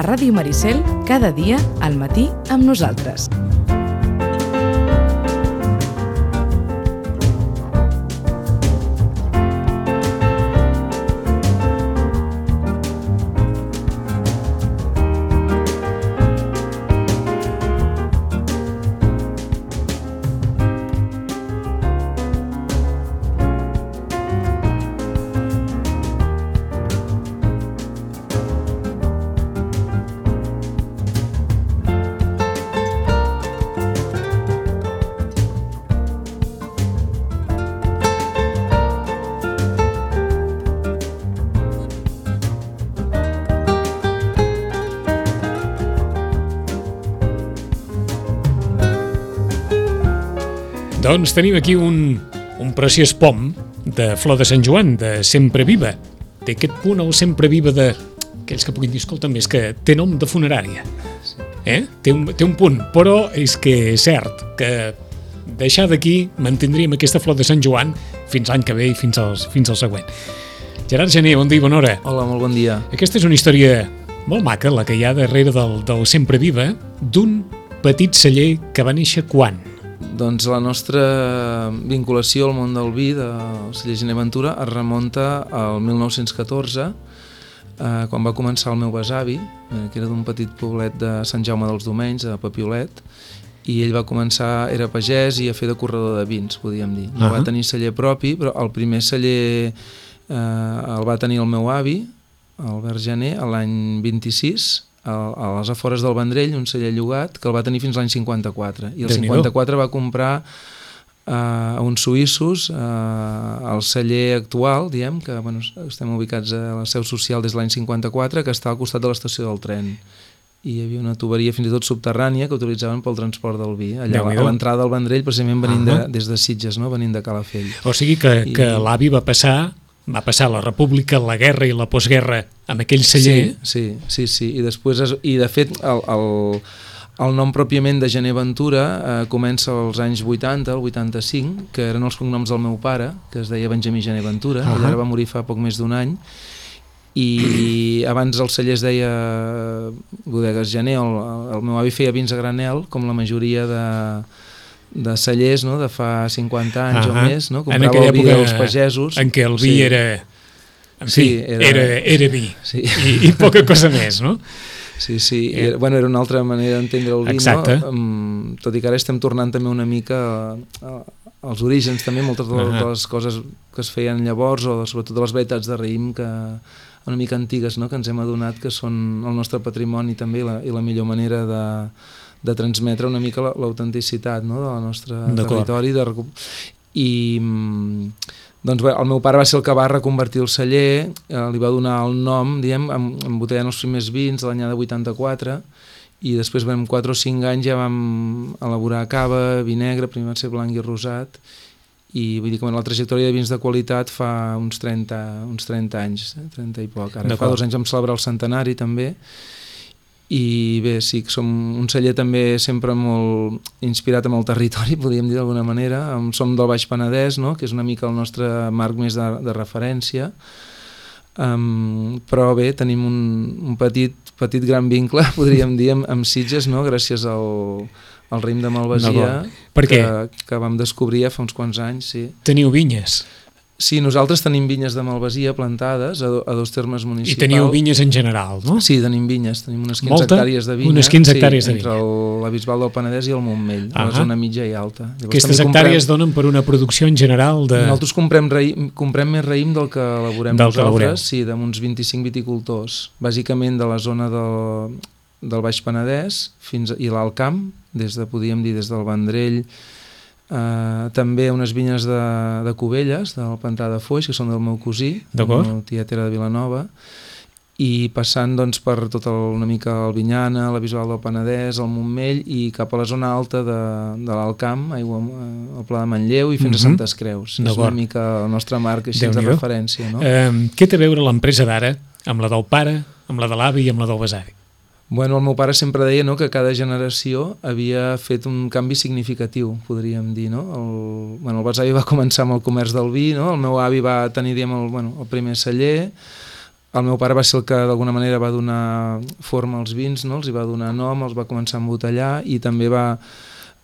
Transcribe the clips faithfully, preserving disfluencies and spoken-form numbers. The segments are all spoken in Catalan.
a Ràdio Maricel, cada dia al matí amb nosaltres. Doncs tenim aquí un, un preciós pom de flor de Sant Joan, de Sempre Viva. Té aquest punt, el Sempre Viva, de aquells que puguin dir, escolta'm, és que té nom de funerària. Eh? Té, un, té un punt, però és que és cert que deixar d'aquí mantindríem aquesta flor de Sant Joan fins l'any que ve i fins, als, fins al següent. Gerard Gené, bon dia i bona hora. Hola, molt bon dia. Aquesta és una història molt maca, la que hi ha darrere del, del Sempre Viva, d'un petit celler que va néixer quan? Doncs la nostra vinculació al món del vi del celler Gené Ventura es remunta al mil nou-cents catorze, eh, quan va començar el meu besavi, eh, que era d'un petit poblet de Sant Jaume dels Domenys, a Papiolet, i ell va començar, era pagès i a fer de corredor de vins, podríem dir. No uh-huh. va tenir celler propi, però el primer celler eh, el va tenir el meu avi, Albert Gené, l'any vint-i-sis, a les afores del Vendrell, un celler llogat, que el va tenir fins l'any cinquanta-quatre. I el cinquanta-quatre va comprar eh, a uns suïssos eh, el celler actual, diem, que bueno, estem ubicats a la seu social des de l'any cinquanta-quatre, que està al costat de l'estació del tren. I hi havia una tuberia fins i tot subterrània que utilitzaven pel transport del vi, allà a l'entrada del Vendrell, precisament venint de, des de Sitges, no? Venint de Calafell. O sigui que, I... que l'avi va passar... va passar la república, la guerra i la postguerra amb aquell celler. Sí, sí, sí, sí. I després, es, i de fet, el, el, el nom pròpiament de Gené Ventura eh, comença als anys vuitanta, el vuitanta-cinc, que eren els cognoms del meu pare, que es deia Benjamí Gené Ventura, uh-huh. ell ara va morir fa poc més d'un any, i abans el celler es deia Bodegues Gené, el, el meu avi feia vins a granel, com la majoria de... de cellers, no?, de fa cinquanta anys uh-huh. o més, no? Comprava el vi dels pagesos. En què el vi sí. era... En fi, sí, era... Era, era vi. Sí. I, I poca cosa més, no? Sí, sí. Era, bueno, era una altra manera d'entendre el vi, exacte. No? Um, tot i que ara estem tornant també una mica a, a, als orígens, també, moltes de, uh-huh. de les coses que es feien llavors, o sobretot de les varietats de raïm que una mica antigues, no?, que ens hem adonat que són el nostre patrimoni també i la, i la millor manera de... de transmetre una mica l'autenticitat, no?, del nostre territori. De recup... I doncs, bé, el meu pare va ser el que va reconvertir el celler, eh, li va donar el nom, diem, embotellant els primers vins l'any de vuitanta-quatre, i després vam quatre o cinc anys ja vam elaborar cava, vi negre, primer va ser blanc i rosat, i vull dir que la trajectòria de vins de qualitat fa uns trenta, uns trenta anys, eh? trenta i poc. Ara fa dos anys vam celebrar el centenari també, i bé, sí, som un celler també sempre molt inspirat amb el territori, podríem dir d'alguna manera. Som del Baix Penedès, no?, que és una mica el nostre marc més de, de referència, um, però bé, tenim un, un petit, petit gran vincle, podríem dir, amb, amb Sitges, no?, gràcies al, al raïm de Malvasia, no, que, que vam descobrir fa uns quants anys. Sí. Teniu vinyes? Sí, nosaltres tenim vinyes de Malvasia plantades a, do, a dos termes municipals. I teniu vinyes en general, no? Sí, tenim vinyes, tenim unes quinze Molta? hectàrees de vinya. Unes quinze hectàrees sí, de vinya. Entre la Bisbal del Penedès i el Montmell, uh-huh. la zona mitja i alta. Llavors, aquestes hectàrees comprem... donen per una producció en general de... Nosaltres comprem, raïm, comprem més raïm del que elaborem del nosaltres, sí, d'uns vint-i-cinc viticultors, bàsicament de la zona del, del Baix Penedès fins a, i l'Alt Camp, des de, podríem dir, des del Vendrell. Uh, també unes vinyes de, de Cubelles, del Pantà de Foix, que són del meu cosí, el meu tiet era de Vilanova, i passant doncs, per tota una mica el Vinyana, la Bisbal del Penedès, el Montmell, i cap a la zona alta de, de l'Alt Camp, aigua, el Pla de Manlleu i fins mm-hmm. a Santes Creus. És una mica el nostre marc així de referència. No? Uh, què té a veure l'empresa d'ara amb la del pare, amb la de l'avi i amb la del besavi? Bueno, el meu pare sempre deia, no?, que cada generació havia fet un canvi significatiu, podríem dir, no? El, bueno, el besavi va començar amb el comerç del vi, no? El meu avi va tenir, diguem, el, bueno, el primer celler, el meu pare va ser el que d'alguna manera va donar forma als vins, no? Els hi va donar nom, els va començar a embotellar i també va,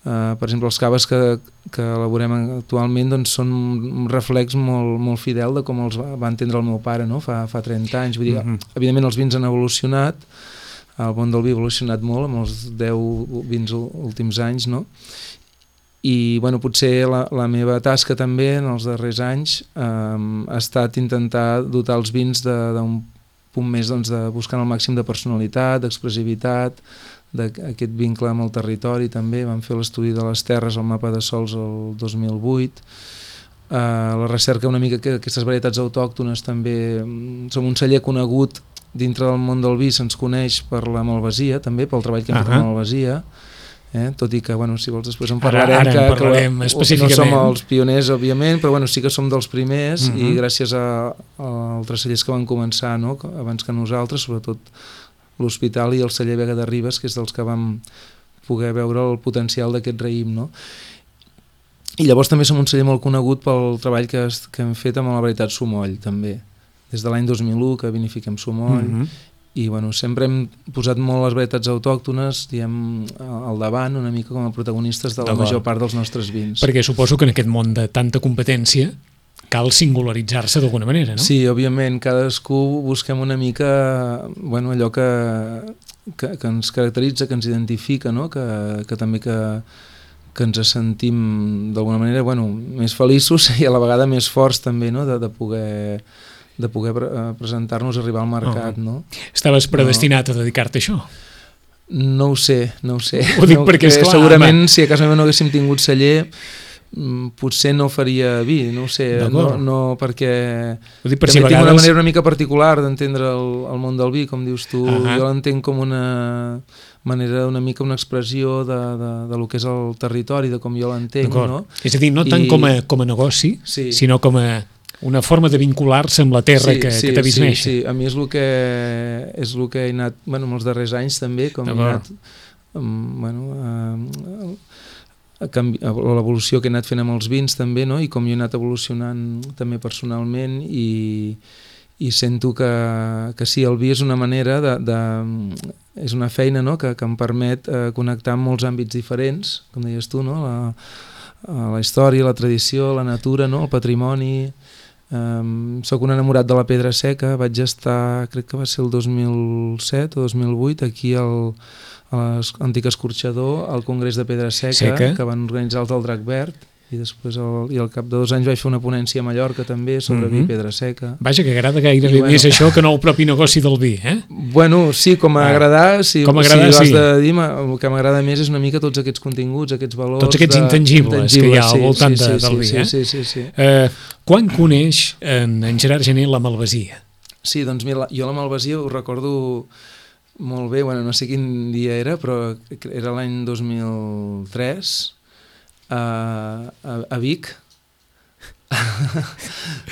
eh, per exemple, els caves que, que elaborem actualment doncs, són un reflex molt, molt fidel de com els va, va entendre el meu pare, no? fa, fa trenta anys. Vull dir, mm-hmm. Evidentment els vins han evolucionat, el món del vi ha evolucionat molt amb els deu vins últims anys, no? I bueno, potser la, la meva tasca també en els darrers anys eh, ha estat intentar dotar els vins d'un punt més doncs, de buscant el màxim de personalitat, d'expressivitat, d'aquest vincle amb el territori també. Vam fer l'estudi de les terres al mapa de sols el dos mil vuit, eh, la recerca una mica que aquestes varietats autòctones també. Som un celler conegut dintre del món del vi, se'ns coneix per la malvasia també, pel treball que hem fet amb la malvasia. Eh? Tot i que, bueno, si vols després en parlarem, ara, ara en parlarem que, que específicament. No som els pioners, òbviament, però bueno, sí que som dels primers, uh-huh. i gràcies a, a altres cellers que van començar, no? Abans que nosaltres, sobretot l'Hospital i el celler Vega de Ribes, que és dels que vam poder veure el potencial d'aquest raïm, no? I llavors també som un celler molt conegut pel treball que, que hem fet amb la varietat Somoll, també. Des de l'any dos mil u que vinifiquem Somoll, uh-huh. i bueno, sempre hem posat molt les varietats autòctones, diem, al davant, una mica com a protagonistes de la major part dels nostres vins. Perquè suposo que en aquest món de tanta competència cal singularitzar-se d'alguna manera, no? Sí, òbviament, cadascú busquem una mica, bueno, allò que, que, que ens caracteritza, que ens identifica, no? que, que també que, que ens sentim d'alguna manera, bueno, més feliços i a la vegada més forts també, no? de, de poder... de poder presentar-nos a arribar al mercat, no? Estaves predestinat no. a dedicar-te a això? No ho sé, no ho sé. Ho dic no, perquè, esclar... Segurament, home. Si a casa meva no haguéssim tingut celler, potser no faria vi, no ho sé, no, no, perquè ho dic per també si tinc vegades... una manera una mica particular d'entendre el, el món del vi, com dius tu, uh -huh. jo l'entenc com una manera, una mica una expressió de, de, de lo que és el territori, de com jo l'entenc, no? És a dir, no tant I... com, a, com a negoci, sí. sinó com a una forma de vincular-se amb la terra sí, que, sí, que t'ha vist sí, néixer. Sí, a mi és el que, és el que he anat, bueno, en els darrers anys també, com he anat, um, bueno, a, a, canvi, a l'evolució que he anat fent amb els vins també, no? I com jo he anat evolucionant també personalment i, i sento que, que sí, el vi és una manera de, de és una feina, no? que, que em permet eh, connectar amb molts àmbits diferents, com deies tu, no? la, la història, la tradició, la natura, no? El patrimoni. Um, soc un enamorat de la pedra seca, vaig estar, crec que va ser el dos mil set o dos mil vuit, aquí al, a l'antic escorxador, al Congrés de Pedra Seca, seca, que van organitzar els del Drac Verd, i després el, i al cap de dos anys vaig fer una ponència a Mallorca també sobre mm-hmm. vi i pedra seca. Vaja, que agrada gairebé bueno, més això que no el propi negoci del vi, eh? Bueno, sí, com a agradar, si, com a agradar, si sí. de dir, el que m'agrada més és una mica tots aquests continguts, aquests valors... Tots aquests de, intangibles, intangibles que hi ha al voltant sí, sí, de, del sí, vi, sí, eh? Sí, sí, sí. Eh, quan coneix en, en Gerard Gené la malvasia? Sí, doncs mira, jo la malvasia ho recordo molt bé, bueno, no sé quin dia era, però era l'any dos mil tres... A, a, a Vic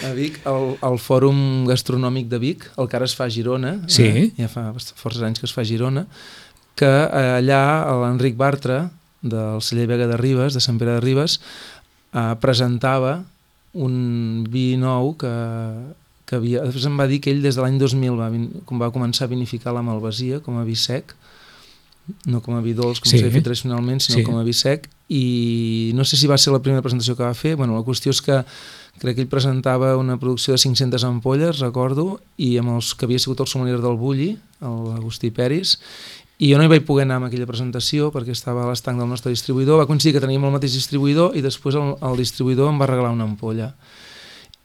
a Vic el, el Fòrum Gastronòmic de Vic, el que ara es fa a Girona, sí. eh? Ja fa força anys que es fa a Girona, que allà l'Enric Bartra del celler Vega de Ribes, de Sant Pere de Ribes, eh, presentava un vi nou que, que havia, després em va dir que ell des de l'any dos mil va, com va començar a vinificar la malvasia com a vi sec, no com a vi dolç, com s'havia sí. fet tradicionalment, sinó sí. com a vi sec, i no sé si va ser la primera presentació que va fer. Bueno, la qüestió és que crec que ell presentava una producció de cinc-centes ampolles, recordo, i amb els que havia sigut el sommelier del Bulli, l'Agustí Peris, i jo no hi vaig poder anar amb aquella presentació perquè estava a l'estanc del nostre distribuïdor. Va coincidir que teníem el mateix distribuïdor i després el, el distribuïdor em va regalar una ampolla.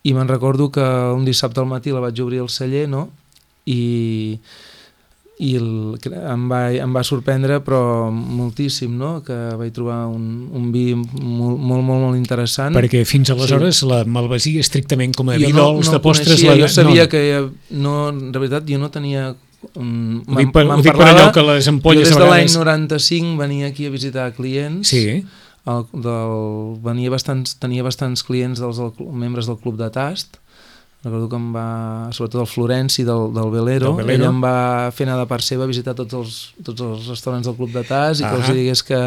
I me'n recordo que un dissabte al matí la vaig obrir al celler, no? I... i el, em, va, em va sorprendre però moltíssim, no? Que vaig trobar un, un vi molt, molt, molt, molt interessant. Perquè fins aleshores sí. la malvasia estrictament com a vi no, dolç no de postres... Coneixia, la... Jo sabia no. que no, de veritat jo no tenia... Um, ho dic per, ho dic per allò que les ampolles jo des de vegades... l'any noranta-cinc venia aquí a visitar clients. Sí. El, del, venia bastants, tenia bastants clients dels del, membres del Club de Tast. Recordo que em va, sobretot el Florenci del, del Velero, del Velero, ell em va fer anar de part seva a visitar tots els, tots els restaurants del Club de Tas i que ah els digués que,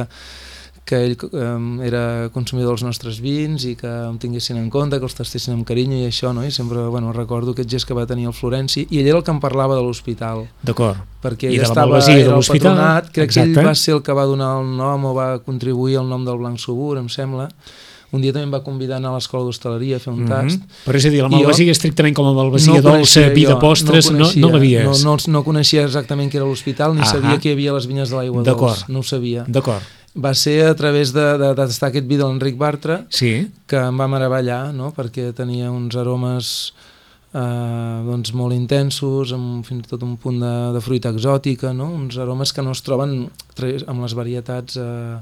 que ell eh, era consumidor dels nostres vins i que em tinguessin en compte, que els tastessin amb carinyo i això, no? I sempre, bueno, recordo aquest gest que va tenir el Florenci, i ell era el que em parlava de l'hospital. D'acord. Perquè I ell de la estava, malvasia de era el l'hospital. patronat, crec Exacte. que ell va ser el que va donar el nom o va contribuir al nom del Blanc Subur, em sembla. Un dia també em va convidar a anar a l'escola d'hostaleria a fer un tast. Mm -hmm. Però és a dir, la I malvasia jo estrictament com a malvasia no dolça, vi de jo, postres, no, coneixia, no l'havies? No, no, no coneixia exactament què era l'hospital, ni Ahà. sabia que hi havia les vinyes de l'aigua dolç, no ho sabia. D'acord. Va ser a través de, de, de tastar aquest vi de l'Enric Bartra Sí. que em va meravellar, no? Perquè tenia uns aromes eh, doncs molt intensos, amb fins i tot un punt de, de fruita exòtica, no? Uns aromes que no es troben amb les varietats eh,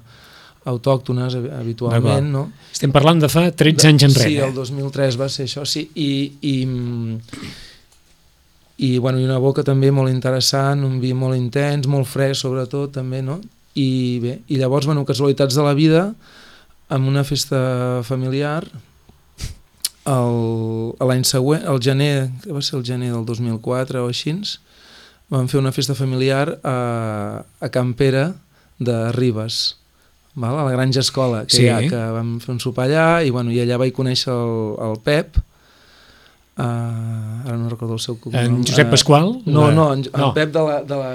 autòctones habitualment, no? Estem parlant de fa tretze anys enrere. Sí, el dos mil tres va ser això, sí, i, i, i, bueno, i una boca també molt interessant, un vi molt intens, molt fresc sobretot també, no? I bé, i llavors, bueno, casualitats de la vida, amb una festa familiar, l'any següent, el gener, que va ser el gener del dos mil quatre o així, vam fer una festa familiar a, a Can Pere de Ribes, val? A la Granja Escola, que, sí. hi ha, que vam fer un sopar allà, i, bueno, i allà vaig conèixer el, el Pep, uh, ara no recordo el seu cognom. En Josep Pasqual? Uh, no, la... no, en, no, en Pep de la... De la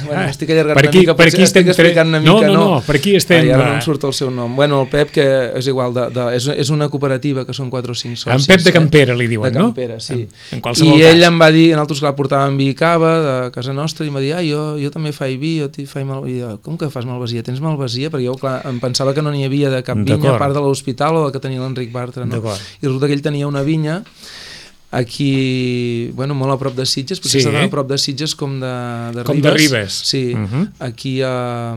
bueno, ah, estic allargant per aquí, una mica, per aquí estem explicant una no, mica, no, no, no, per aquí estem... Ai, ara no em surt el seu nom. Bueno, el Pep, que és igual, de, de, és, és una cooperativa, que són quatre o cinc socis. En Pep de Campera, li diuen, de no? Campera, sí. En, en qualsevol I cas. ell em va dir, nosaltres clar, portàvem vi i cava de casa nostra, i em va dir, ah, jo, jo també faig vi, jo faig malvasia. Com que fas malvasia? Tens malvasia? Perquè jo, clar, em pensava que no n'hi havia de cap vinya, a part de l'hospital o de que tenia l'Enric Bartra, no? I resulta que ell tenia una vinya aquí, bueno, molt a prop de Sitges, potser sí. Està a prop de Sitges com de, de com Ribes. de Ribes. Sí, uh -huh. aquí uh,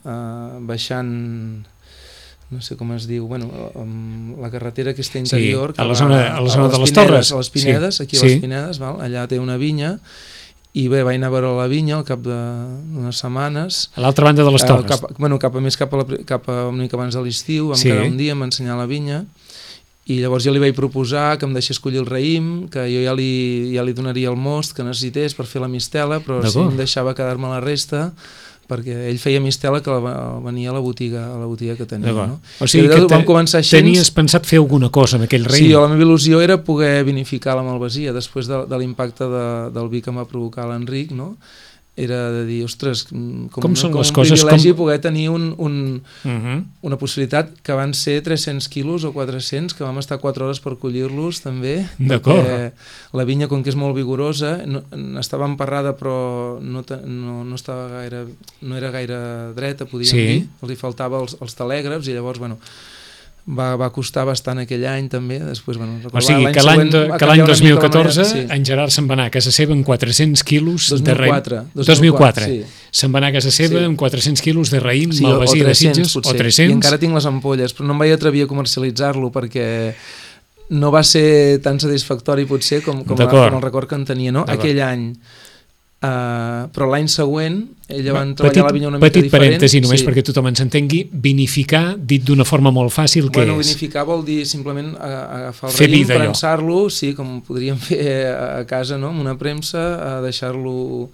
uh, baixant, no sé com es diu, bueno, um, la carretera aquesta interior, sí, a la zona, a la zona a de les Pinedes, Torres. A les Pinedes, sí. Aquí a sí. les Pinedes, val? Allà té una vinya, i bé, vaig anar a veure la vinya al cap d'unes setmanes. A l'altra banda de les Torres. Uh, cap, bueno, cap a més cap a, la, cap a una mica abans de l'estiu, vam sí. quedar un dia, em va ensenyar la vinya, i llavors jo li vaig proposar que em deixés collir el raïm, que jo ja li, ja li donaria el most que necessités per fer la mistela, però si em deixava quedar-me la resta, perquè ell feia mistela que la, venia a la botiga, a la botiga que tenia. No? O sigui que te, així, tenies pensat fer alguna cosa amb aquell raïm? Sí, la meva il·lusió era poder vinificar la malvasia després de, de l'impacte de, del vi que em va provocar l'Enric, no? Era de dir, ostres, com, com una, són com les un coses, privilegi com... poder tenir un, un, uh -huh. una possibilitat que van ser tres-cents quilos o quatre-cents, que vam estar quatre hores per collir-los també, perquè la vinya, com que és molt vigorosa, no, estava emparrada però no, no, no, estava gaire, no era gaire dreta, podríem sí. dir, li faltava els, els telègrafs, i llavors, bueno, Va, va costar bastant aquell any també. Després, bueno, o sigui que l'any dos mil catorze sí. en Gerard se'n va anar a casa seva amb quatre-cents quilos dos mil quatre, de raïm. dos mil quatre sí. Se'n va anar a casa seva sí. amb quatre-cents quilos de raïm, sí, malvasia de Sitges, potser. o tres-cents. I encara tinc les ampolles, però no em vaig atrevir a comercialitzar-lo perquè no va ser tan satisfactori potser com, com, la, com el record que en tenia, no? Aquell any. Uh, però l'any següent ella van treballar petit, la vinya una mica petit diferent. Petit parèntesi, només sí. perquè tothom ens entengui, vinificar, dit d'una forma molt fàcil, què bueno, és? Vinificar vol dir simplement agafar el raïm, premsar-lo, sí, com podríem fer a casa, no? Amb una premsa, deixar-lo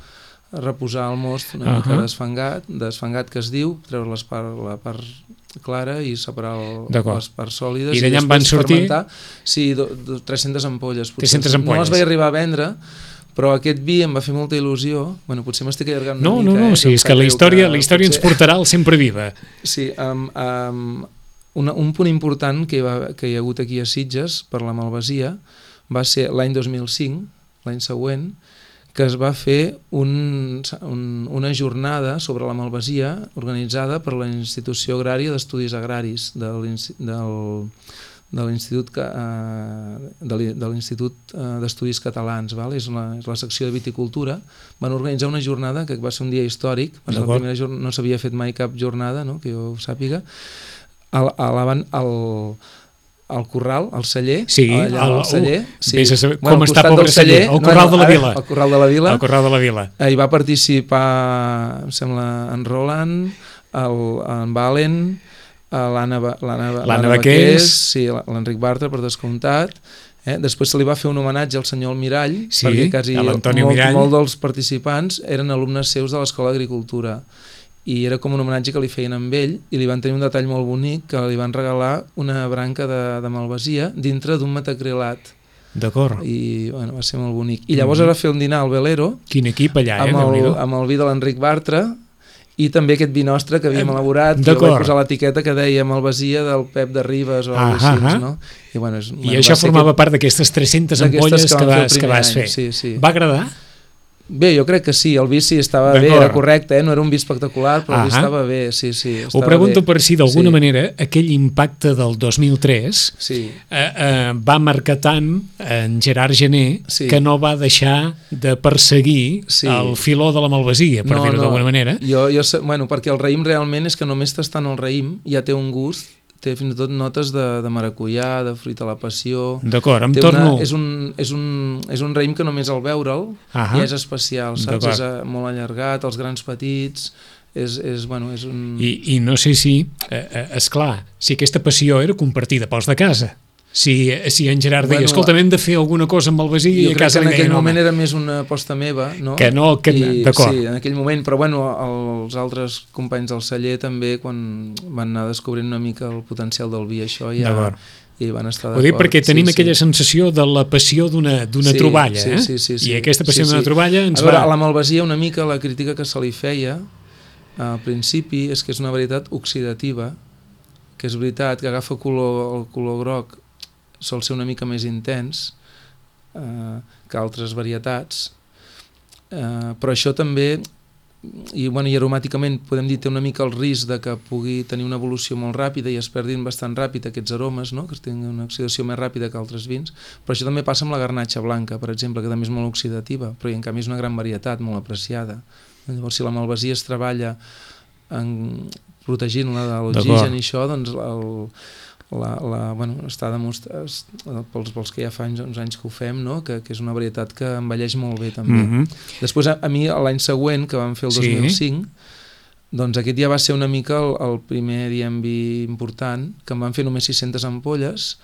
reposar al most una uh -huh. mica desfangat, desfangat que es diu, treure les part, la part clara i separar el, les parts sòlides. I d'allà en van sortir? Sí, do, do, tres-centes ampolles. tres-centes ampolles. No les vaig arribar a vendre, però aquest vi em va fer molta il·lusió. Bueno, potser m'estic allargant una no, mica. No, no, no, eh? sí, és que la història, que, la història potser... ens portarà al sempre viva. Sí, um, um, una, un punt important que hi, va, que hi ha hagut aquí a Sitges per la malvasia va ser l'any dos mil cinc, l'any següent, que es va fer un, un, una jornada sobre la malvasia organitzada per la Institució Agrària d'Estudis Agraris del, del de l'Institut de l'Institut d'Estudis Catalans, val? És, la, és la secció de viticultura. Van organitzar una jornada que va ser un dia històric, va ser la primera jornada, no s'havia fet mai cap jornada, no? Que jo ho sàpiga, al, al, al, al Corral, al celler, sí, allà al celler, sí. Vés a saber bueno, com està pobre celler, el Corral no, no, de la Vila. El Corral de la Vila. El Corral de la Vila. Hi va participar, em sembla, en Roland, el, en Valen, l'Anna Baqués, sí, l'Enric Bartra, per descomptat. Eh? Després se li va fer un homenatge al senyor Almirall, sí, perquè quasi molt, molt molt dels participants eren alumnes seus de l'Escola d'Agricultura. i era com un homenatge que li feien amb ell, i li van tenir un detall molt bonic, que li van regalar una branca de, de malvasia dintre d'un metacrilat. D'acord. I bueno, va ser molt bonic. I llavors mm-hmm. ara fer un dinar al Velero, quin equip allà, eh? amb el, amb el vi de l'Enric Bartra, i també aquest vi nostre que havíem elaborat, que vaig posar l'etiqueta que deia malvasia del Pep de Ribes o ah, alguna cosa així, no? I, bueno, és, I bueno, això formava aquest, part d'aquestes tres-centes ampolles que, que, vas, que vas fer. Sí, sí. Va agradar? Bé, jo crec que sí, el vi sí estava bé, era correcte, eh? No era un vi espectacular, però el vi estava bé, sí, sí. Ho pregunto bé. per si d'alguna sí. manera aquell impacte del dos mil tres sí. eh, eh, va marcar tant en Gerard Gené sí. que no va deixar de perseguir sí. el filó de la malvasia, per no, dir-ho no. d'alguna manera. Jo, jo, bueno, perquè el raïm realment és que només tastant el raïm ja té un gust, té fins i tot notes de, de maracuyà, de fruita a la passió. D'acord, em torno... Una, és, un, és, un, és un raïm que només al veure'l ja és especial, saps? És molt allargat, els grans petits, és, és, bueno, és un... I, i no sé si, eh, esclar, si aquesta passió era compartida pels de casa. Si, si en Gerard bueno, deia, escolta, hem de fer alguna cosa amb malvasia i a casa en aquell deia, moment no, era més una aposta meva, no? Que no, que d'acord. Sí, en aquell moment, però bueno, els altres companys del celler també, quan van anar descobrint una mica el potencial del vi, això ja... I van estar d'acord. Ho dic perquè tenim sí, aquella sí. sensació de la passió d'una sí, troballa, sí, eh? Sí, sí, sí, I aquesta passió sí, d'una sí. troballa ens a veure, va... A la malvasia una mica la crítica que se li feia al principi és que és una varietat oxidativa, que és veritat que agafa color, el color groc sol ser una mica més intens eh, que altres varietats, eh, però això també, i, bueno, i aromàticament podem dir té una mica el risc de que pugui tenir una evolució molt ràpida i es perdin bastant ràpid aquests aromes, no? Que tinguin una oxidació més ràpida que altres vins, però això també passa amb la garnatxa blanca, per exemple, que també és molt oxidativa, però en canvi és una gran varietat, molt apreciada. Llavors, si la malvasia es treballa en protegint-la de l'oxigen i això, doncs el La, la, bueno, està demostrat pels, pels que ja fa anys, uns anys que ho fem, no? que, que és una varietat que envelleix molt bé també. Mm-hmm. Després a, a mi l'any següent, que vam fer el dos mil cinc, sí. doncs aquest ja va ser una mica el, el primer diem vi important, que em van fer només sis-centes ampolles,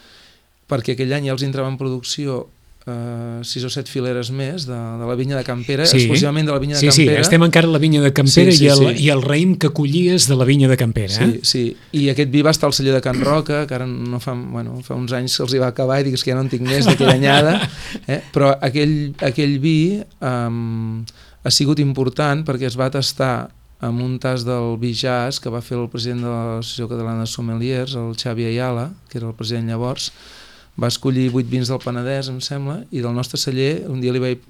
perquè aquell any ja els entrava en producció Uh, sis o set fileres més de, de la vinya de Campera, sí. exclusivament de la vinya de sí, Campera. Sí, estem encara a la vinya de Campera sí, sí, i, el, sí. i el raïm que collies de la vinya de Campera. Sí, eh? sí, i aquest vi va estar al celler de Can Roca, que ara no fa, bueno, fa uns anys se'ls hi va acabar i digues que ja no en tinc més d'aquella anyada, eh? però aquell, aquell vi um, ha sigut important perquè es va tastar amb un tas del vi jazz que va fer el president de l'Associació Catalana de Sommeliers, el Xavi Ayala, que era el president llavors. Va escollir vuit vins del Penedès, em sembla, i del nostre celler un dia li vaig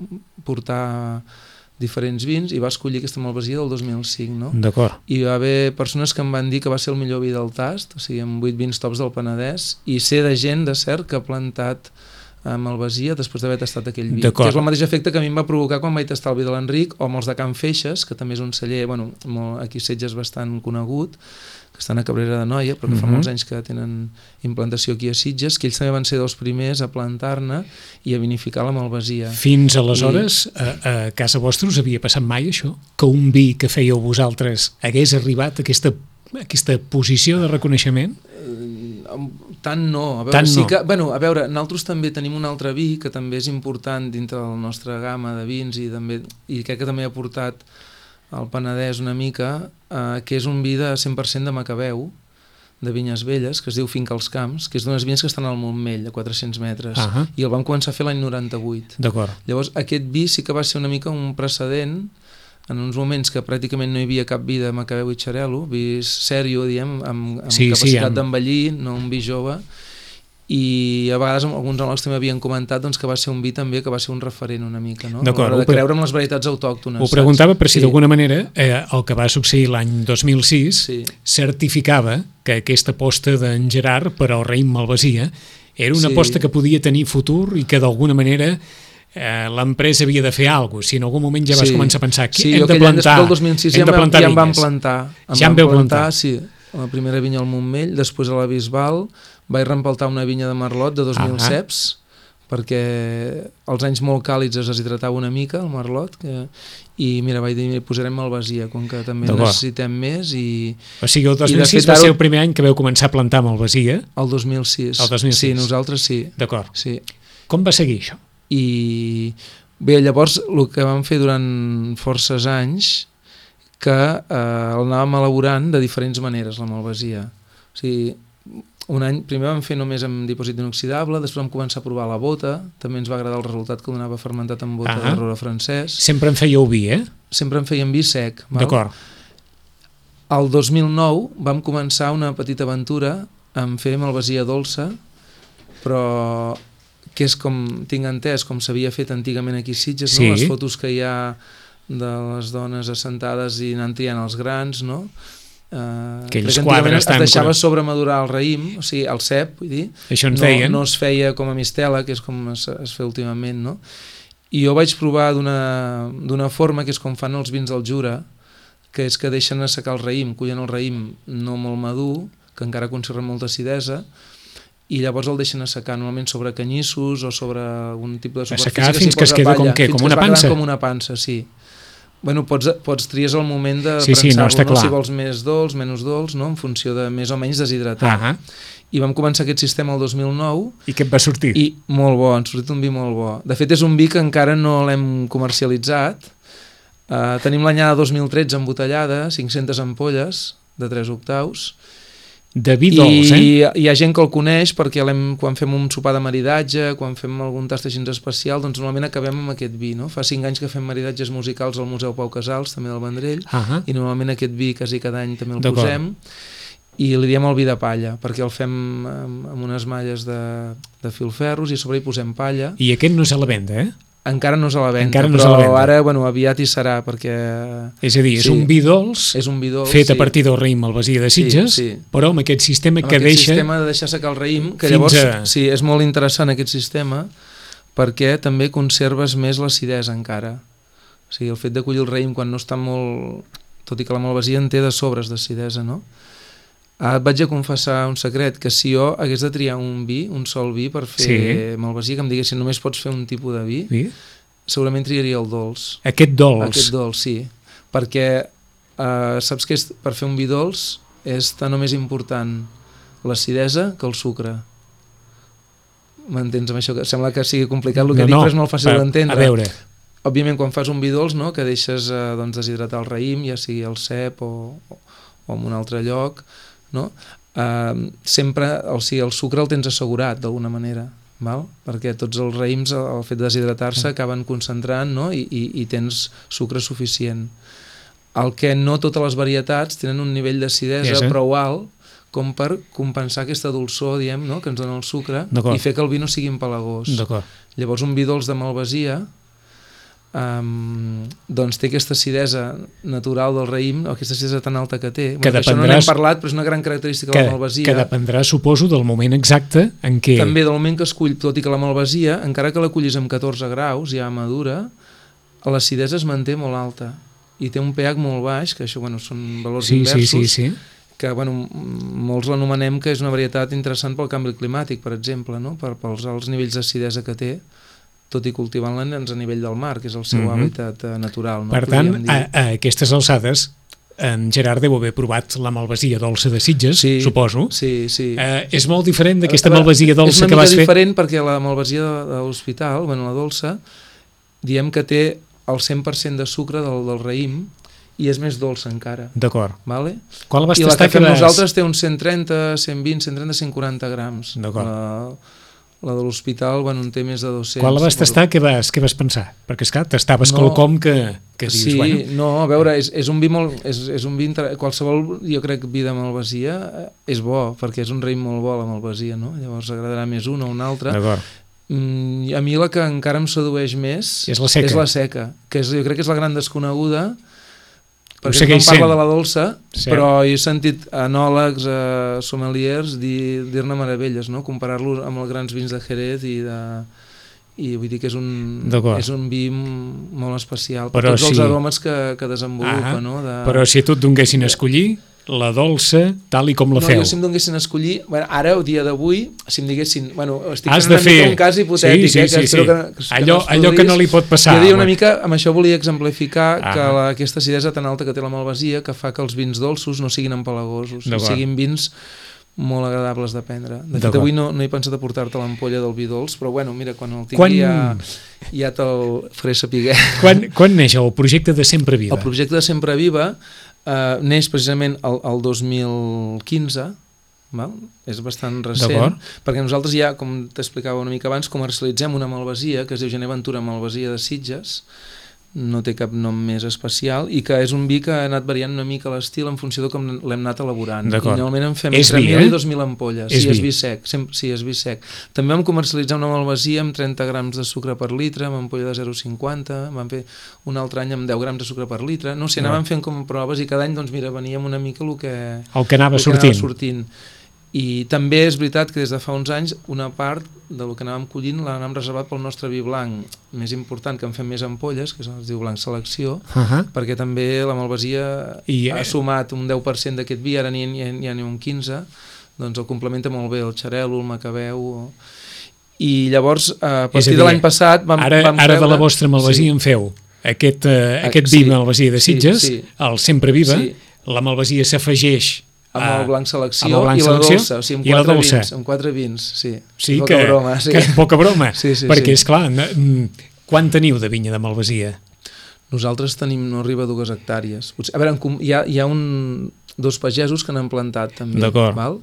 portar diferents vins i va escollir aquesta malvasia del dos mil cinc, no? D'acord. I va haver persones que em van dir que va ser el millor vi del tast, o sigui, amb vuit vins tops del Penedès, i sé de gent, de cert, que ha plantat a malvasia després d'haver tastat aquell vi. Que és el mateix efecte que a mi em va provocar quan vaig tastar el vi de l'Enric, o amb els de Can Feixes, que també és un celler, bueno, molt, aquí a Sitges bastant conegut, que estan a Cabrera de Noia, però que fa uh-huh. molts anys que tenen implantació aquí a Sitges, que ells també van ser dels primers a plantar-ne i a vinificar la malvasia. Fins aleshores, I... a, a casa vostra us havia passat mai això? Que un vi que fèieu vosaltres hagués arribat a aquesta, a aquesta posició de reconeixement? Uh, tant no. A veure, tant sí no. que, bueno, a veure, nosaltres també tenim un altre vi que també és important dintre de la nostra gamma de vins i, també, i crec que també ha portat al Penedès una mica, eh, que és un vi de cent per cent de Macabeu, de Vinyes Velles, que es diu Finca als Camps, que és d'unes vinyes que estan al Montmell, a quatre-cents metres, uh-huh. i el vam començar a fer l'any noranta-vuit. D'acord. Llavors, aquest vi sí que va ser una mica un precedent en uns moments que pràcticament no hi havia cap vi de Macabeu i Xarel·lo, vi sèrio, diem, amb, amb sí, capacitat sí, amb... d'envellir, no un vi jove, i a vegades alguns anòlegs també havien comentat doncs, que va ser un vi també que va ser un referent una mica, no? D'acord, a l'hora de creure en les varietats autòctones. Ho preguntava per si sí. d'alguna manera eh, el que va succeir l'any dos mil sis sí. certificava que aquesta aposta d'en Gerard per al raïm malvasia era una sí. aposta que podia tenir futur i que d'alguna manera eh, l'empresa havia de fer alguna cosa. Si en algun moment ja vas sí. començar a pensar que sí, hem de plantar, del dos mil sis hem ja de plantar ja em van vinyes. plantar. Em ja em veu plantar. Sí, la primera vinya al Montmell, després a la Bisbal, vaig rempaltar una vinya de Merlot de dos mil ah, ceps, perquè als anys molt càlids es deshidratava una mica el Merlot, que, i mira, vaig dir, posarem malvasia, com que també necessitem més. I, o sigui, el dos mil sis va ser el primer any que vau començar a plantar malvasia? El dos mil sis. El dos mil sis. Sí, nosaltres sí. D'acord. Sí. Com va seguir això? I bé, llavors el que vam fer durant forces anys, que eh, el anàvem elaborant de diferents maneres, la malvasia. O sigui, un any, primer vam fer només amb dipòsit inoxidable, després vam començar a provar la bota, també ens va agradar el resultat que donava fermentat amb bota de roure francès. Sempre en fèieu vi, eh? Sempre en fèiem vi sec. D'acord. El dos mil nou vam començar una petita aventura en fer malvasia dolça, però que és com, tinc entès, com s'havia fet antigament aquí a Sitges, sí. no? Les fotos que hi ha de les dones assentades i anant triant els grans, no? Uh, aquells quadres es deixava sobremadurar el raïm, o sigui, el cep, vull dir, això en no, feien. no es feia com a mistela, que és com es, es fa últimament, no? I jo vaig provar d'una forma que és com fan els vins del Jura, que és que deixen assecar el raïm, cullen el raïm no molt madur, que encara conserva molta acidesa, i llavors el deixen assecar normalment sobre canyissos o sobre algun tipus de superfície. Assecar fins que es queda com què? Com una pansa? Com una pansa, sí. Bueno, pots, pots tries el moment de sí, sí, no, prensar-lo, no, si vols més dolç, menys dolç, no? En funció de més o menys deshidratar. Uh -huh. I vam començar aquest sistema el dos mil nou. I què et va sortir? I molt bo, ens ha sortit un vi molt bo. De fet, és un vi que encara no l'hem comercialitzat. Uh, tenim l'anyada dos mil tretze embotellada, cinc-centes ampolles de tres octaus. De vi dolç, I eh? hi ha gent que el coneix perquè quan fem un sopar de maridatge, quan fem algun tast així especial, doncs normalment acabem amb aquest vi, no? Fa cinc anys que fem maridatges musicals al Museu Pau Casals, també del Vendrell, uh -huh. i normalment aquest vi quasi cada any també el posem, i li diem el vi de palla, perquè el fem amb, amb unes malles de, de filferros i a sobre hi posem palla. I aquest no és a la venda, eh? Encara no és a la venda, no però la venda. Ara bueno, aviat hi serà, perquè... És a dir, és sí, un vi dolç, és un vi dolç fet sí. a partir del raïm malvasia de Sitges, sí, sí. però amb aquest sistema amb que aquest deixa... Amb sistema de deixar secar el raïm, que llavors a... sí, és molt interessant aquest sistema, perquè també conserves més l'acidesa encara. O sigui, el fet de collir el raïm quan no està molt... Tot i que la malvasia en té de sobres d'acidesa, no? Ah, et vaig a confessar un secret, que si jo hagués de triar un vi, un sol vi per fer sí. malvasia, que em diguessin només pots fer un tipus de vi, sí. segurament triaria el dolç. Aquest dolç? Aquest dolç, sí. Perquè eh, saps que és, per fer un vi dolç és tan o més important l'acidesa que el sucre. M'entens amb això? Que sembla que sigui complicat el que no, dic, no, però és molt fàcil d'entendre. A veure... Òbviament, quan fas un vi dolç, no?, que deixes eh, doncs, deshidratar el raïm, ja sigui al cep o, o, o en un altre lloc, no? Uh, sempre o sigui, el sucre el tens assegurat d'alguna manera, val? Perquè tots els raïms al fet de deshidratar-se acaben concentrant, no? I, i, i tens sucre suficient. El que no totes les varietats tenen un nivell d'acidesa sí, prou alt com per compensar aquesta dolçor, diem, no? Que ens dona el sucre i fer que el vi no sigui empalagós. Llavors un vi dolç de malvasia Um, doncs té aquesta acidesa natural del raïm, o aquesta acidesa tan alta que té, que bueno, això no n'hem parlat, però és una gran característica que, de la malvasia, que dependrà, suposo, del moment exacte en què... També del moment que es cull, tot i que la malvasia, encara que la cullis amb catorze graus ja madura, l'acidesa es manté molt alta i té un pH molt baix, que això bueno, són valors sí, inversos, sí, sí, sí. que bueno, molts l'anomenem que és una varietat interessant pel canvi climàtic, per exemple, no? per, pels alts nivells d'acidesa que té, tot i cultivant-la a nivell del mar, que és el seu mm -hmm. hàbitat uh, natural. No? Per tant, a, a aquestes alçades, en Gerard deu haver provat la malvasia dolça de Sitges, sí, suposo. Sí, sí. Uh, és molt diferent d'aquesta malvasia dolça que vas fer? És una mica diferent perquè la malvasia de l'hospital, bueno, la dolça, diem que té el cent per cent de sucre del, del raïm i és més dolça encara. D'acord. Vale? Qual vas I la que fem vas... nosaltres té uns cent trenta, cent vint, cent trenta, cent quaranta grams. D'acord. La... La de l'hospital, bueno, en té més de dos-cents. Quan la vas tastar, què vas, què vas pensar? Perquè, esclar, tastaves no, quelcom que, que dius, sí, bueno... no, a veure, és, és un vi molt... És, és un vi inter... Qualsevol, jo crec, vi de malvasia és bo, perquè és un raïm molt bo, la malvasia, no? Llavors agradarà més una o una altra. D'acord. Mm, a mi la que encara em sedueix més és la seca, és la seca que és, jo crec que és la gran desconeguda, perquè no parla de la dolça, sí. Però he sentit enòlegs, eh, sommeliers dir, dir-ne meravelles, no? Comparar-lo amb els grans vins de Jerez i de... i vull dir que és un, és un vi molt especial per però tots si... els aromes que, que desenvolupa, ah, no? De... Però si a tu et donguessin a escollir la dolça, tal i com la no, feu. Jo si em donguessin a escollir, bueno, ara, el dia d'avui, si em diguessin, bueno, estic Has fent una fer... mica un cas hipotètic, sí, sí, eh, que sí, sí. espero que, que, que allò, no allò que no li pot passar. Jo diria una mica, amb això volia exemplificar ah. que la, aquesta acidesa tan alta que té la malvasia, que fa que els vins dolços no siguin empalagosos, siguin vins molt agradables de prendre. De fet, avui no, no he pensat a portar-te l'ampolla del vi dolç, però bueno, mira, quan el tingui quan... ja, ja te'l faré saber. Quan, quan neix el projecte de Sempre Viva? El projecte de Sempre Viva eh, neix precisament el, el dos mil quinze, val? És bastant recent, perquè nosaltres ja, com t'explicava una mica abans, comercialitzem una malvasia que es diu Gener Ventura Malvasia de Sitges, no té cap nom més especial, i que és un vi que ha anat variant una mica l'estil en funció de com l'hem anat elaborant. I normalment en fem entre mil i dos mil ampolles. Sí, és vi sec. Sí, és vi sec. També vam comercialitzar una malvasia amb trenta grams de sucre per litre, amb ampolla de zero coma cinquanta, vam fer un altre any amb deu grams de sucre per litre. No sé, anàvem fent com proves i cada any, doncs mira, veníem una mica el que, el que anava sortint. sortint. I també és veritat que des de fa uns anys una part del que anàvem collint l'anàvem reservat pel nostre vi blanc més important, que en fem més ampolles, que es diu Blanc Selecció, uh -huh. perquè també la malvasia I, ha sumat un deu per cent d'aquest vi, ara n'hi ha, ha un quinze per cent, doncs el complementa molt bé el xarel·lo, el macabeu... I llavors, a partir de l'any passat vam, ara, vam ara de la vostra malvasia sí. en feu aquest, uh, aquest vi sí. malvasia de Sitges, sí, sí. el Sempre Viva, sí. la malvasia s'afegeix amb el blanc selecció el blanc i la dolça, o sigui, amb, quatre vins, amb quatre vins, sí. Sí, poca que, broma. Sí. Que, poca broma, sí, sí, perquè, sí. esclar, quan teniu de vinya de malvasia? Nosaltres tenim, no arriba a dues hectàrees. A veure, hi ha, hi ha un, dos pagesos que n'han plantat, també. D'acord. Val?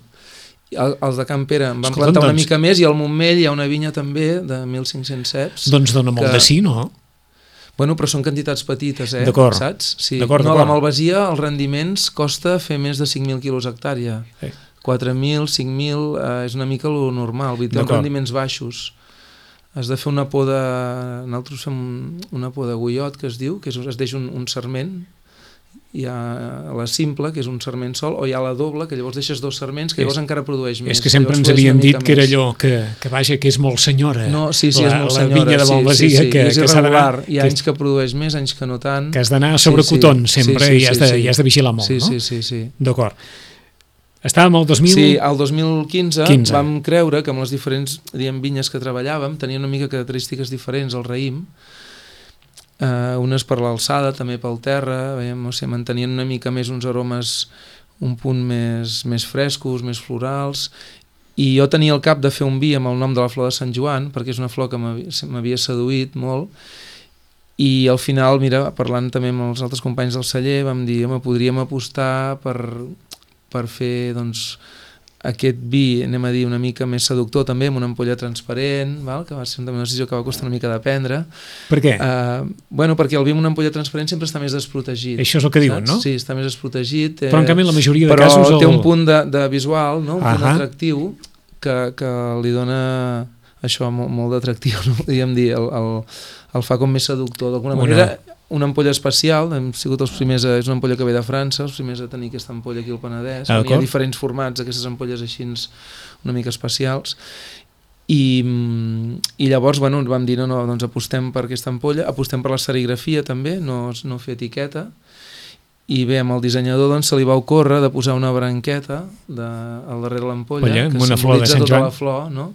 El, els de Can Pere en van Escolta, plantar una doncs, mica més, i al Montmell hi ha una vinya també de mil cinc-cents ceps. Doncs dona molt que, de sí, no? Bueno, però són quantitats petites, eh? D'acord. Saps? Sí. No, la malvasia, els rendiments, costa fer més de cinc mil quilos hectàrea. Sí. quatre mil, cinc mil, eh, és una mica lo normal, vull dir, els rendiments baixos. Has de fer una poda, nosaltres fem una poda guiot, que es diu, que és, es deixa un, un sarment, hi ha la simple, que és un sarment sol, o hi ha la doble, que llavors deixes dos sarments, que llavors és, encara produeix més. És que sempre ens havien dit que era allò, que, que vaja, que és molt senyora. No, sí, sí, la, és molt senyora. La vinya de malvasia, sí, sí, sí. que, és que irregular. Hi ha anys que produeix més, anys que no tant. Que has d'anar sobre sí, cotons, sí, sempre, sí, sí, i, has de, sí, sí. i has de vigilar molt, sí, no? Sí, sí, sí. D'acord. Estàvem al dos mil... Sí, al dos mil quinze quinze. Vam creure que amb les diferents diguem, vinyes que treballàvem tenien una mica característiques diferents al raïm. Uh, unes per l'alçada, també pel terra, veiem, no sé, mantenien una mica més uns aromes un punt més, més frescos, més florals, i jo tenia al cap de fer un vi amb el nom de la flor de Sant Joan, perquè és una flor que m'havia seduït molt, i al final, mira, parlant també amb els altres companys del celler, vam dir, home, podríem apostar per, per fer, doncs, aquest vi, anem a dir, una mica més seductor també, amb una ampolla transparent, val? Que va ser una decisió que va costar una mica de prendre. Per què? Uh, bueno, perquè el vi amb una ampolla transparent sempre està més desprotegit. Això és el que diuen, no? Sí, està més desprotegit. Eh, però en canvi la majoria de però casos... Però el... té un punt de, de visual, no? Un uh-huh. punt atractiu que, que li dona això molt, molt d'atractiu, no? Podríem dir, el, el, el fa com més seductor. D'alguna una... manera, una ampolla especial, hem sigut els primers, a, és una ampolla que ve de França, els primers a tenir aquesta ampolla aquí al Penedès. Ah, hi ha diferents formats, aquestes ampolles així una mica especials. I, i llavors, bueno, vam dir, no, no, doncs apostem per aquesta ampolla, apostem per la serigrafia també, no, no fer etiqueta, i bé, amb el dissenyador doncs, se li va ocórrer de posar una branqueta de, al darrere l'ampolla, Oye, que una flor de Sant tota Joan. la flor, no?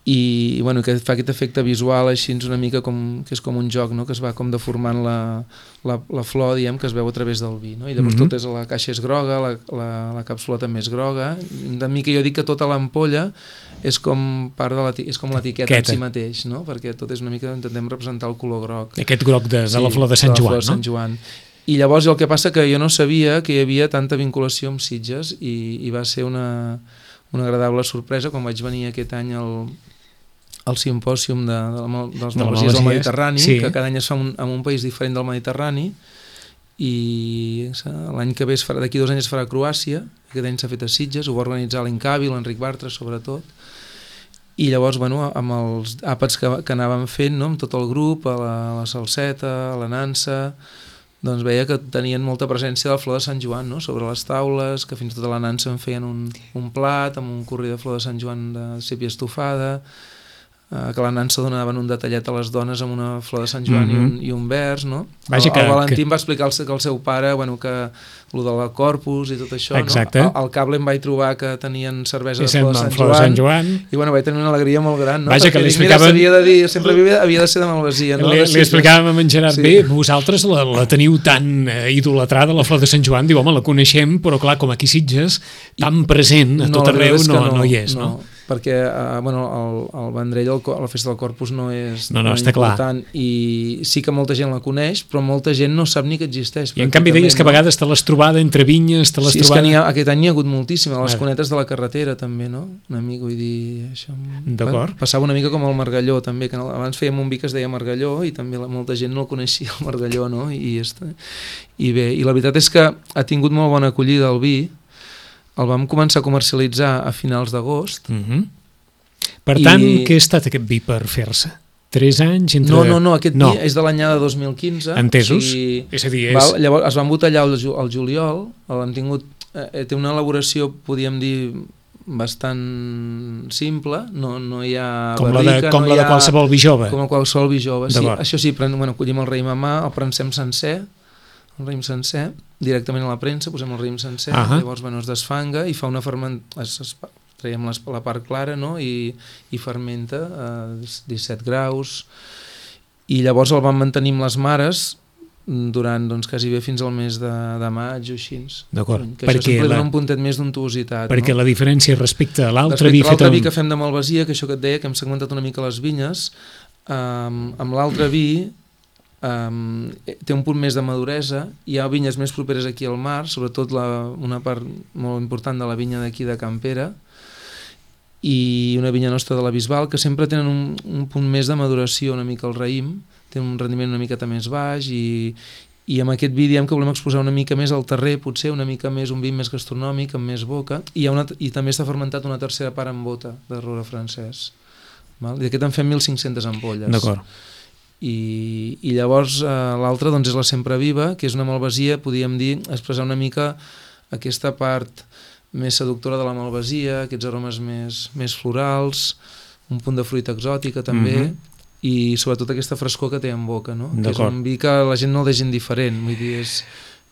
I bueno, que fa aquest efecte visual així una mica com, que és com un joc, no? Que es va com deformant la, la, la flor, diem, que es veu a través del vi, no? I llavors mm-hmm. tot és, la caixa és groga, la, la, la càpsula també és groga, de mica jo dic que tota l'ampolla és com part de l'etiqueta, és com l'etiqueta en si mateix, no? Perquè tot és una mica, intentem representar el color groc. Aquest groc de, de sí, la flor de Sant Joan, de Sant Joan, no? I llavors el que passa que jo no sabia que hi havia tanta vinculació amb Sitges i, i va ser una, una agradable sorpresa quan vaig venir aquest any al el simpòsium de, de, la, de les malvasies del Mediterrani, sí. Que cada any es fa un, en un país diferent del Mediterrani, i l'any que ve, d'aquí dos anys es farà a Croàcia, aquest any s'ha fet a Sitges, ho va organitzar l'Incavi, l'Enric Bartra sobretot, i llavors, bueno, amb els àpats que, que anàvem fent, no? Amb tot el grup, a la, a la salseta, a la nansa, doncs veia que tenien molta presència de la flor de Sant Joan, no? Sobre les taules, que fins i tot a la nansa en feien un, un plat amb un curri de flor de Sant Joan de sèpia estofada. que la nansa donaven un detallet a les dones amb una flor de Sant Joan mm-hmm. i, un, i un vers, no? Vaja, el, que, el Valentí que... em va explicar el, que el seu pare, bueno, que el de la Corpus i tot això, exacte. no? Al, al cable em vaig trobar que tenien cervesa de flor de Sant, flor de Sant Joan i bueno, vaig tenir una alegria molt gran, no? Vaja, perquè que li dic, explicaven... mira, s'havia de dir, sempre havia, havia de ser de Malvasia, no? Li, li explicàvem a en Gerard, sí. bé, vosaltres la, la teniu tan eh, idolatrada, la flor de Sant Joan, diu, home, la coneixem, però clar, com aquí Sitges, tan present a no, tot arreu, no, no, no hi és, no? no? Perquè uh, bueno, el, el Vendrell, el, la festa del Corpus no és no, no, tan està important clar. I sí que molta gent la coneix, però molta gent no sap ni que existeix. I en canvi deies que a vegades te l'has trobada entre vinyes, te l'has sí, trobada... Sí, és que ha, aquest any n'hi ha hagut moltíssim, a les cunetes de la carretera també, no? Una mica, vull dir... Això... D'acord. Bueno, passava una mica com el Margalló també, que abans fèiem un vi que es deia Margalló i també la, molta gent no el coneixia, el Margalló, no? I, i bé, i la veritat és que ha tingut molt bona acollida el vi, el vam començar a comercialitzar a finals d'agost. Mhm. Per tant, I... què ha estat aquest vi per fer-se? Tres anys? Entre... No, no, no, aquest no. vi és de l'anyada dos mil quinze. Entesos? O sigui, és a dir, és... val, llavors es van botellar el, el juliol, l'hem tingut, eh, té una elaboració, podríem dir, bastant simple, no, no hi ha com barrica, la de, com no la de qualsevol vi jove. Com qualsevol vi jove, sí. Això sí, pren, bueno, collim el raïm a mà, el prensem sencer, el raïm sencer, directament a la premsa, posem el raïm sencer, uh -huh. llavors bueno, es desfanga i fa una fermentació, traiem les, la part clara, no? I, i fermenta a disset graus, i llavors el vam mantenir amb les mares durant doncs, quasi bé fins al mes de, de maig o així. D'acord. Que això sempre la... dona un puntet més d'untuositat. Perquè no? La diferència respecte a l'altre vi... Respecte a l'altre vi un... que fem de Malvasia, que això que et deia, que hem segmentat una mica les vinyes, um, amb l'altre vi um, té un punt més de maduresa, hi ha vinyes més properes aquí al mar, sobretot la, una part molt important de la vinya d'aquí de Campera, i una vinya nostra de la Bisbal, que sempre tenen un, un punt més de maduració una mica al raïm, té un rendiment una miqueta més baix, i, i amb aquest vi diem que volem exposar una mica més al terrer, potser una mica més, un vi més gastronòmic, amb més boca, i, hi ha una, i també està fermentat una tercera part en bota de roure francès. Val? I d'aquest en fem mil cinc-centes ampolles. D'acord. I, i llavors eh, l'altra doncs, és la Sempre Viva, que és una malvasia, podríem dir, expressar una mica aquesta part més seductora de la malvasia, aquests aromes més, més florals, un punt de fruita exòtica també, mm-hmm. i sobretot aquesta frescor que té en boca, no? Que és un vi que la gent no el deixa indiferent, vull dir, és,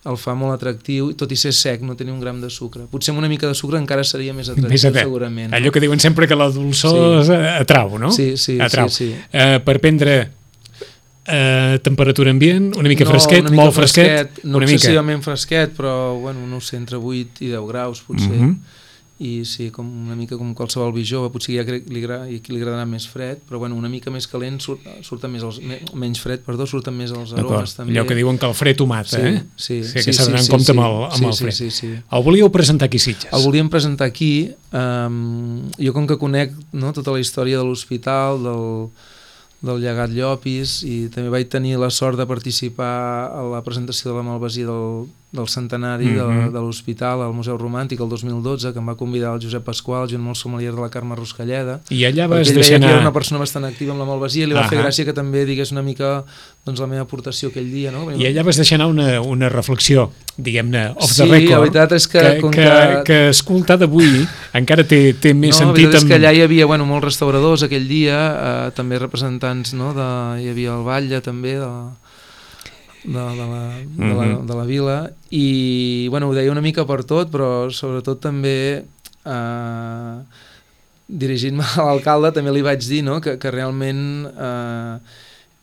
el fa molt atractiu, tot i ser sec, no tenir un gram de sucre. Potser amb una mica de sucre encara seria més atractiu, més segurament. Allò no? Que diuen sempre que la dolçor sí. atrau, no? Sí, sí, atrau. sí. sí. Uh, per prendre uh, temperatura ambient, una mica no, fresquet, una mica molt fresquet, fresquet no una excessivament mica. fresquet, però bueno, no sé, entre vuit i deu graus potser. Mm-hmm. I sí, com una mica com qualsevol vi jove, potser ja li, li, li agradarà més fred, però bueno, una mica més calent surt, surten més els, menys fred, perdó, surten més els aromes també. Allò que diuen que el fred ho mata, sí, eh? Sí, sí, sí, que s'ha d'anar sí, en compte sí, amb el, amb sí, el fred. Sí, sí, sí. El volíeu presentar aquí a Sitges? El volíem presentar aquí, um, jo com que conec no, tota la història de l'hospital, del, del llegat Llopis, i també vaig tenir la sort de participar a la presentació de la malvasia del, del centenari mm-hmm. de, de l'hospital al Museu Romàntic el dos mil dotze, que em va convidar el Josep Pasqual, junt amb el sommelier de la Carme Ruscalleda, i allà vas perquè ell deixar veia anar... que era una persona bastant activa amb la malvasia i li va Ahà. fer gràcia que també digués una mica doncs, la meva aportació aquell dia, no? I allà vas deixar anar una, una reflexió, diguem-ne, off sí, the record, la veritat és que, que, com que, que... que escoltar d'avui encara té, té més no, sentit. No, la veritat amb... és que allà hi havia bueno, molts restauradors aquell dia, eh, també representants, no, de, hi havia el Batlle també, de, de, de, la, de, la, de la vila, i bueno, ho deia una mica per tot, però sobretot també eh, dirigint-me a l'alcalde també li vaig dir no, que, que realment eh,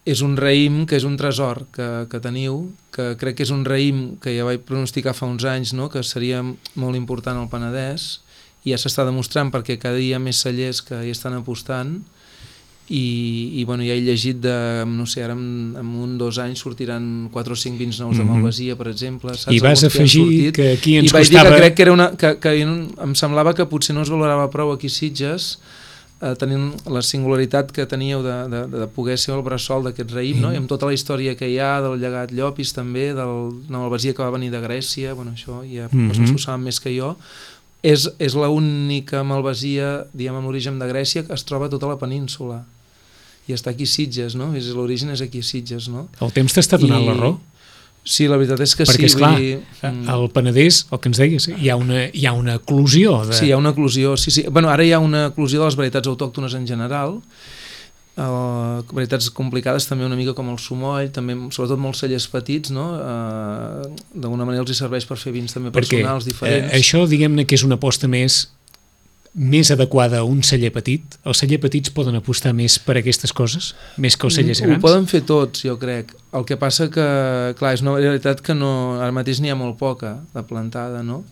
és un raïm que és un tresor que, que teniu, que crec que és un raïm que ja vaig pronosticar fa uns anys, no, que seria molt important al Penedès, i ja s'està demostrant perquè cada dia hi ha més cellers que hi estan apostant, i, i bueno, ja he llegit de, no sé, ara en, en un dos anys sortiran quatre o cinc vins nous de Malvasia, per exemple. Saps? I vas afegir que aquí ens I vaig costava... dir que crec que, era una, que, que em semblava que potser no es valorava prou aquí Sitges, eh, tenint la singularitat que teníeu de, de, de poder ser el bressol d'aquest raïm, no? I amb tota la història que hi ha del llegat Llopis també, del, de la Malvasia que va venir de Grècia, bueno, això ja mm-hmm. persones ho saben més que jo, és, és l'única malvasia, diguem, amb l'origen de Grècia que es troba a tota la península. I està aquí a Sitges, no? L'origen és aquí a Sitges, no? El temps t'està donant I... la raó? Sí, la veritat és que perquè, sí. Perquè, esclar, dir... al Penedès, el que ens deies, hi ha una, hi ha una eclosió. De... Sí, hi ha una eclosió, sí, sí. Bueno, ara hi ha una eclosió de les varietats autòctones en general, Uh, varietats complicades també una mica com el sumoll, també, sobretot molts cellers petits, no? Uh, d'alguna manera els hi serveix per fer vins també Perquè, personals diferents. Eh, això diguem-ne que és una aposta més més adequada a un celler petit? Els cellers petits poden apostar més per aquestes coses? Més que els cellers grans? Ho poden fer tots, jo crec. El que passa que, clar, és una varietat que no, ara mateix n'hi ha molt poca de plantada, no?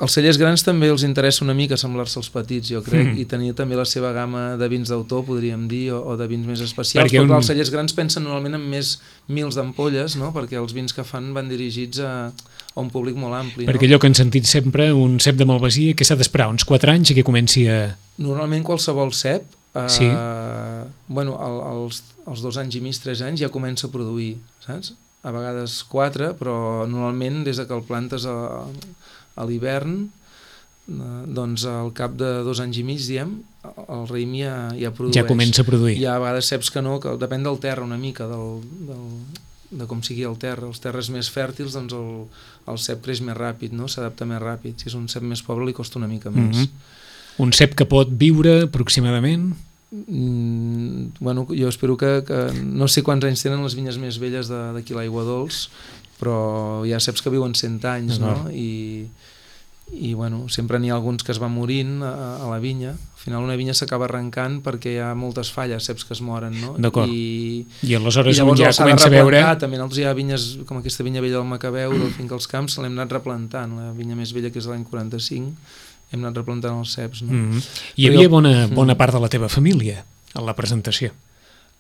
Els cellers grans també els interessa una mica semblar-se als petits, jo crec, mm. i tenir també la seva gamma de vins d'autor, podríem dir, o, o de vins més especials, perquè però clar, un... els cellers grans pensen normalment en més mils d'ampolles, no? Perquè els vins que fan van dirigits a, a un públic molt ampli. Perquè no? allò que hem sentit sempre, un cep de Malvasia, que s'ha d'esperar uns quatre anys i que comenci a... Normalment qualsevol cep, eh, sí. bueno, el, els, els dos anys i mig, tres anys ja comença a produir, saps? A vegades quatre, però normalment des que el plantes a... a l'hivern, doncs al cap de dos anys i mig, diem, el raïm ja, ja produeix. Ja comença a produir. Hi ha a vegades ceps que no, que depèn del terra una mica, del, del, de com sigui el terra. Els terres més fèrtils, doncs el, el cep creix més ràpid, no? S'adapta més ràpid. Si és un cep més pobre li costa una mica més. Mm-hmm. Un cep que pot viure aproximadament? Mm, bueno, jo espero que, que... No sé quants anys tenen les vinyes més velles d'aquí l'Aigua Dols, però hi ha ceps que viuen cent anys, no? I, i bueno, sempre n'hi ha alguns que es van morint a, a la vinya. Al final una vinya s'acaba arrencant perquè hi ha moltes falles, ceps que es moren, no? D'acord. I, I aleshores i llavors un ja comença a veure... També nosaltres hi ha vinyes, com aquesta vinya vella del Macabeu, del Finca als Camps, l'hem anat replantant. La vinya més vella, que és de l'any quaranta-cinc, hem anat replantant els ceps, no? Mm-hmm. Hi havia bona, bona part de la teva família a la presentació.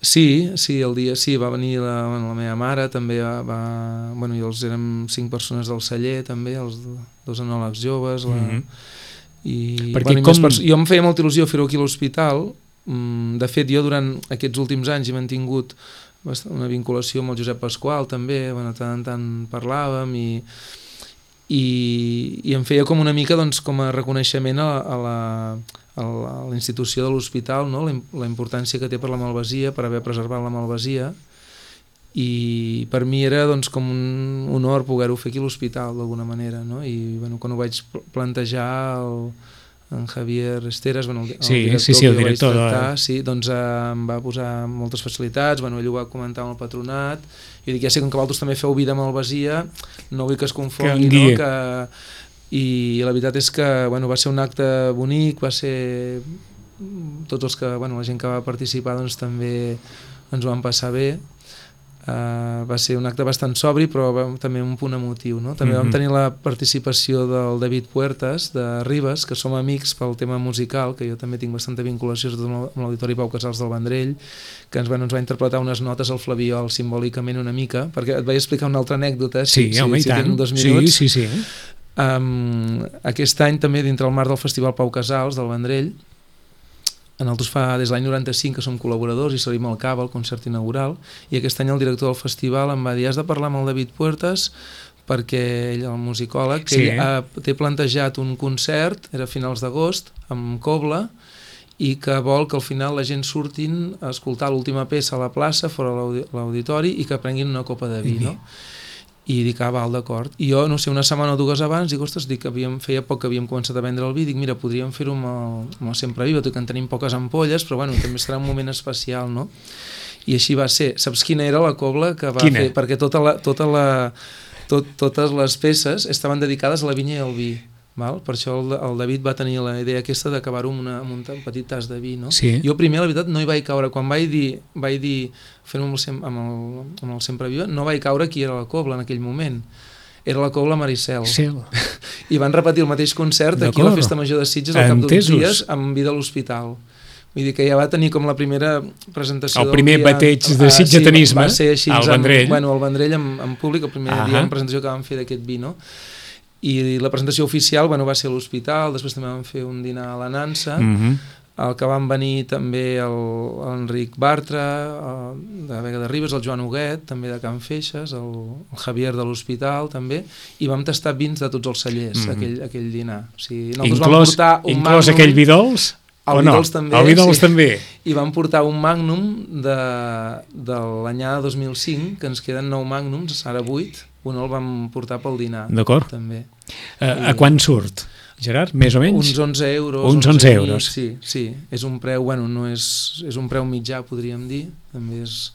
Sí, sí, el dia sí, va venir la, bueno, la meva mare, també va, va... Bueno, i els érem cinc persones del celler, també, els dos enòlegs joves, la, mm-hmm. i... Perquè bueno, com... Jo em feia molta il·lusió fer-ho aquí a l'hospital. De fet, jo durant aquests últims anys he mantingut una vinculació amb el Josep Pasqual, també, bueno, tant en tant parlàvem, i, i, i em feia com una mica, doncs, com a reconeixement a, a la... a la institució de l'hospital, no? la, la importància que té per la Malvasia, per haver preservat la Malvasia, i per mi era doncs, com un honor poder-ho fer aquí a l'hospital d'alguna manera, no? I bueno, quan ho vaig plantejar el, en Javier Esteras, bueno, el, el sí, director, sí, sí, el que director vaig tractar, de... sí, doncs eh, em va posar moltes facilitats, bueno, ell ho va comentar amb el patronat, i dic, ja sé que vosaltres també feu vida a Malvasia, no vull que es confongui, que no? que i la veritat és que bueno, va ser un acte bonic, va ser tots els que, bueno, la gent que va participar doncs també ens ho van passar bé, uh, va ser un acte bastant sobri però va, també un punt emotiu, no? També mm-hmm. vam tenir la participació del David Puertas de Ribes, que som amics pel tema musical, que jo també tinc bastanta vinculació amb l'Auditori Pau Casals del Vendrell, que ens, bueno, ens va interpretar unes notes al flabiol simbòlicament una mica, perquè et vaig explicar una altra anècdota, sí, si, home, si, si tant. dos minuts. Sí, sí, sí. Um, aquest any també dintre el marc del Festival Pau Casals del Vendrell, nosaltres fa des de l'any noranta-cinc que som col·laboradors i servim el cava, el concert inaugural, i aquest any el director del festival em va dir has de parlar amb el David Puertas perquè ell, el musicòleg, que sí, ell ha, té plantejat un concert, era a finals d'agost, amb cobla, i que vol que al final la gent surtin a escoltar l'última peça a la plaça, fora l'auditori, i que prenguin una copa de vi, no? I dic, ah, val, d'acord. I jo, no sé, una setmana o dues abans, dic, ostres, dic, havíem, feia poc que havíem començat a vendre el vi, dic, mira, podríem fer-ho amb, el, amb el Sempre Viva, tot que en tenim poques ampolles, però bueno, també serà un moment especial, no? I així va ser. Saps quina era la cobla que va quina? fer? Perquè tota la, tota la, tot, totes les peces estaven dedicades a la vinya i al vi. Val? Per això el, el David va tenir la idea aquesta d'acabar-ho amb, amb un petit tas de vi, no? Sí. Jo primer, la veritat, no hi vaig caure. Quan vaig dir, vaig dir fer-ho amb, amb, el, amb el Sempre Viva, no vaig caure qui era la cobla en aquell moment. Era la cobla Maricel. Sí. I van repetir el mateix concert aquí a la Festa Major de Sitges al cap d'uns dies amb vi de l'hospital. Vull dir que ja va tenir com la primera presentació el primer del dia. bateig de sitgetanisme ah, sí, va ser així, al Vendrell. Amb, bueno, al Vendrell en, en públic, el primer uh-huh. dia en presentació que vam fer d'aquest vi, no? I la presentació oficial, bueno, va ser a l'hospital, després també vam fer un dinar a la Nansa, uh-huh. el que van venir també l'Enric Bartra, el, de Vega de Ribes, el Joan Huguet, també de Can Feixes, el, el Javier de l'hospital també, i vam tastar vins de tots els cellers, uh-huh. aquell, aquell dinar. O sigui, inclòs, vam portar un inclòs Magnum, aquell vi dolç? El vi dolç també, el vi dolç sí. també. I vam portar un Magnum de, de l'anyada dos mil cinc, que ens queden nou Magnums, ara vuit, un el vam portar pel dinar. D'acord. També. Uh, I, a quan surt? Gerard, més o menys? Uns onze euros. Uns onze euros. Sí, sí, és un preu, bueno, no és, és un preu mitjà, podríem dir. També és...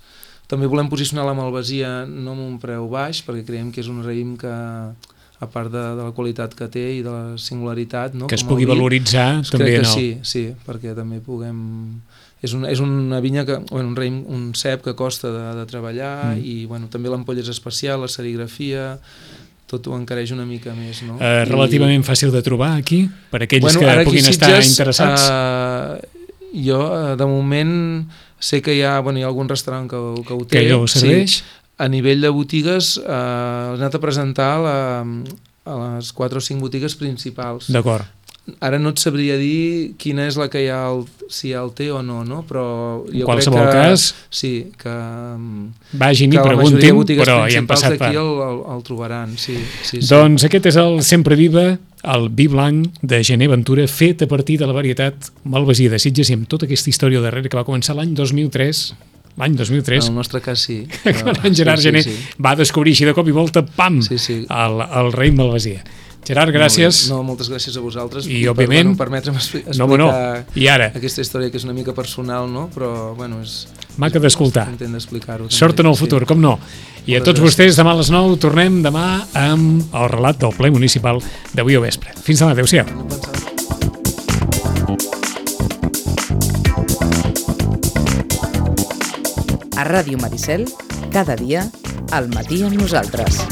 També volem posicionar la malvasia no amb un preu baix, perquè creiem que és un raïm que, a part de, de la qualitat que té i de la singularitat... No? Que es Com pugui vi, valoritzar també crec que en el... sí, sí, perquè també puguem... És, un, és una vinya, que, bueno, un, raïm, un cep que costa de, de treballar mm. i bueno, també l'ampolla és especial, la serigrafia... tot ho encareix una mica més, no? Uh, relativament I... fàcil de trobar aquí, per aquells bueno, que puguin Sitges, estar interessats. Uh, jo, uh, de moment, sé que hi ha, bueno, hi ha algun restaurant que, que ho té. Que ho serveix. Sí, a nivell de botigues, uh, he anat a presentar la, a les quatre o cinc botigues principals. D'acord. Ara no et sabria dir quina és la que hi ha, el, si hi ha el té o no, no? Però jo en qualsevol crec que, cas, sí, que, vagin que i preguntin, però hi han passat per... d'aquí el, el, el trobaran, sí, sí, sí. Doncs aquest és el Sempre Viva, el vi blanc de Gener Ventura, fet a partir de la varietat malvasia de Sitges i amb tota aquesta història darrere que va començar l'any dos mil tres, l'any dos mil tres, en el nostre cas sí. Però, en Gerard sí, Gener sí, sí. va descobrir així de cop i volta, pam, sí, sí. El, el raïm malvasia. Gerard, gràcies. No, moltes gràcies a vosaltres. I, òbviament... Per, bueno, permetre'm explicar no, no. I ara? aquesta història que és una mica personal, no? Però, bueno, és... Maca d'escoltar. Intent d'explicar-ho. Sort en el futur, sí. Com no. I a tots vostès, demà a les nou, tornem demà amb el relat del ple municipal d'avui al vespre. Fins demà, adéu-siau. A Ràdio Maricel, cada dia, al matí amb nosaltres.